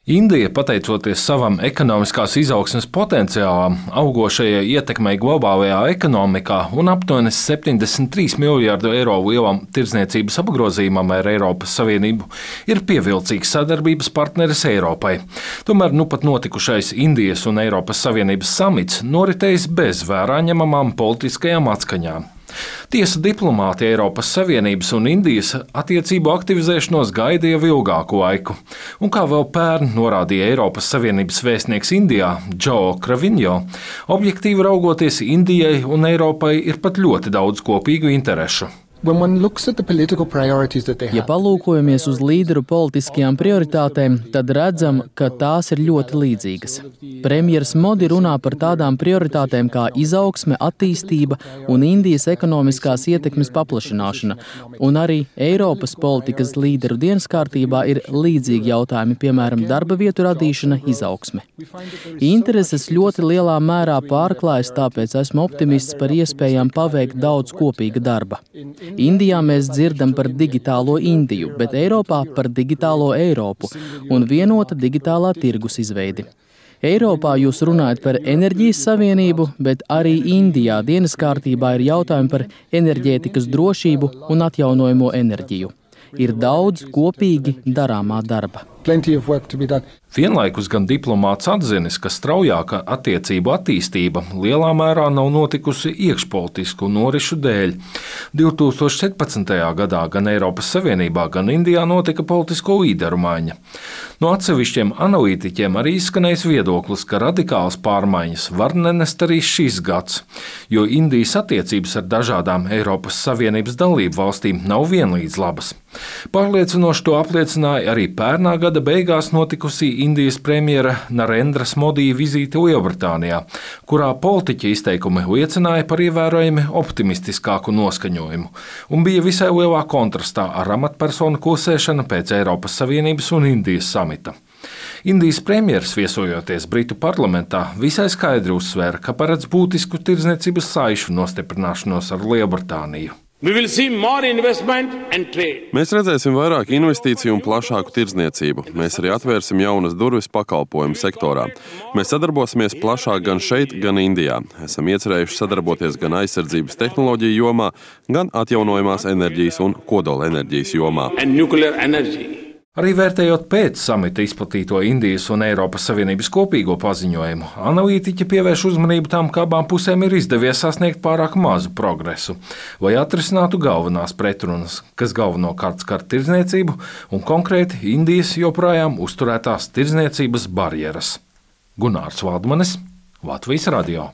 Indija, pateicoties savam ekonomiskās izaugsmes potenciālam, augošajai ietekmei globālajā ekonomikā un aptuveni 73 miljārdu eiro lielam tirdzniecības apgrozījumam ar Eiropas Savienību, ir pievilcīgs sadarbības partneris Eiropai. Tomēr nu pat notikušais Indijas un Eiropas Savienības samits noritējis bez vērā ņemamām politiskajām atskaņām. Tiesa diplomāti Eiropas Savienības un Indijas attiecību aktivizēšanos gaida jau ilgāku laiku. Un kā vēl pērn norādīja Eiropas Savienības vēstnieks Indijā, Joe Cravinho, objektīvi raugoties, Indijai un Eiropai ir pat ļoti daudz kopīgu interešu. Ja palūkojamies uz līderu politiskajām prioritātēm, tad redzam, ka tās ir ļoti līdzīgas. Premjers Modi runā par tādām prioritātēm kā izaugsme, attīstība un Indijas ekonomiskās ietekmes paplašināšana, un arī Eiropas politikas līderu dienas kārtībā ir līdzīgi jautājumi, piemēram, darba vietu radīšana, izaugsme. Intereses ļoti lielā mērā pārklājas, tāpēc esmu optimists par iespējām paveikt daudz kopīga darba. Indijā mēs dzirdam par digitālo Indiju, bet Eiropā par digitālo Eiropu un vienota digitālā tirgus izveidi. Eiropā jūs runājat par enerģijas savienību, bet arī Indijā dienas kārtībā ir jautājumi par enerģētikas drošību un atjaunojamo enerģiju. Ir daudz kopīgi darāmā darba. Vienlaikus gan diplomāts atzinis, ka straujāka attiecību attīstība lielā mērā nav notikusi iekšpolitisku norišu dēļ. 2017. gadā gan Eiropas Savienībā, gan Indijā notika politisko līderu maiņa. No atsevišķiem analītiķiem arī izskanējis viedoklis, ka radikālas pārmaiņas var nenest arī šis gads, jo Indijas attiecības ar dažādām Eiropas Savienības dalību valstīm nav vienlīdz labas. Pārliecinoši to apliecināja arī pērnā gada beigās notikusī Indijas premjera Narendras Modī vizīte Lielbritānijā, kurā politiķa izteikumi liecināja par ievērojami optimistiskāku noskaņojumu un bija visai lielā kontrastā ar amatpersonu klusēšanu pēc Eiropas Savienības un Indijas samita. Indijas premjeras viesojoties Britu parlamentā visai skaidri uzsvēra, ka paredz būtisku tirdzniecības saišu nostiprināšanos ar Lielbritāniju. Mēs redzēsim vairāk investīciju un plašāku tirdzniecību. Mēs arī atvērsim jaunas durvis pakalpojumu sektorā. Mēs sadarbosimies plašāk gan šeit, gan Indijā. Esam iecerējuši sadarboties gan aizsardzības tehnoloģiju jomā, gan atjaunojamās enerģijas un kodolenerģijas jomā. Arī vērtējot pēc samita izplatīto Indijas un Eiropas Savienības kopīgo paziņojumu, analītiķi pievērš uzmanību tam, ka abām pusēm ir izdevies sasniegt pārāk mazu progresu, lai atrisinātu galvenās pretrunas, kas galvenokārt skar tirdzniecību un konkrēti Indijas joprojām uzturētās tirdzniecības barjeras. Gunārs Valdmanis, Latvijas radio.